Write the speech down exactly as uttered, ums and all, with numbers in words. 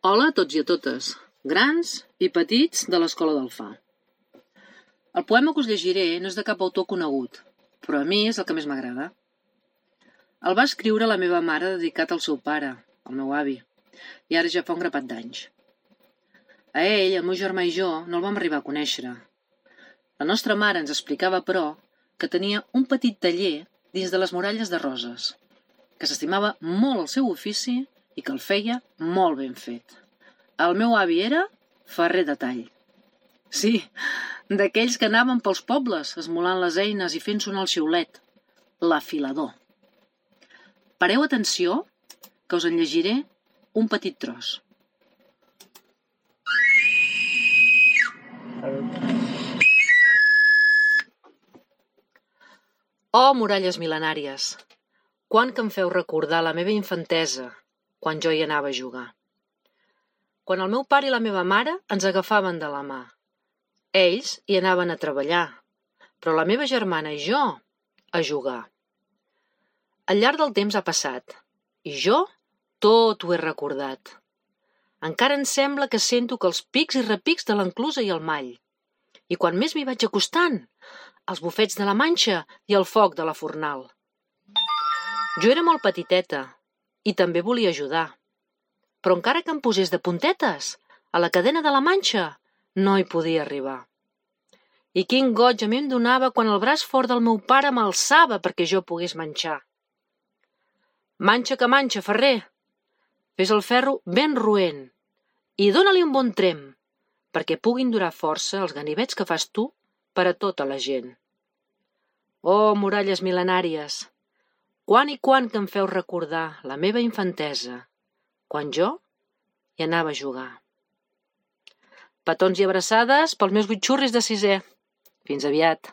Hola a tots i a totes, grans i petits de l'Escola del Fa. El poema que us llegiré no és de cap autor conegut, però a mi és el que més m'agrada. El va escriure la meva mare dedicat al seu pare, el meu avi, i ara ja fa un grapat d'anys. A ell, el meu germà i jo no el vam arribar a conèixer. La nostra mare ens explicava, però, que tenia un petit taller dins de les muralles de Roses, que s'estimava molt el seu ofici i que el feia molt ben fet. El meu avi era ferrer de tall. Sí, d'aquells que anaven pels pobles esmolant les eines i fent sonar el xiulet, l'afilador. Pareu atenció, que us en llegiré un petit tros. Oh, muralles mil·lenàries, quan que em feu recordar la meva infantesa, quan jo hi anava a jugar. Quan el meu pare i la meva mare ens agafaven de la mà. Ells hi anaven a treballar, però la meva germana i jo a jugar. Al llarg del temps ha passat, i jo tot ho he recordat. Encara em sembla que sento que els pics i repics de l'enclusa i el mall. I quan més m'hi vaig acostant, els bufets de la manxa i el foc de la fornal. Jo era molt petiteta i també volia ajudar. Però encara que em posés de puntetes, a la cadena de la manxa no hi podia arribar. I quin goig a mi em donava quan el braç fort del meu pare m'alçava perquè jo pogués manxar. Manxa que manxa, ferrer, fes el ferro ben roent i dóna-li un bon trem perquè puguin durar força els ganivets que fas tu per a tota la gent. Oh, muralles mil·lenàries, quan i quan que em feu recordar la meva infantesa, quan jo hi anava a jugar. Petons i abraçades pels meus bitxurris de sisè. Fins aviat.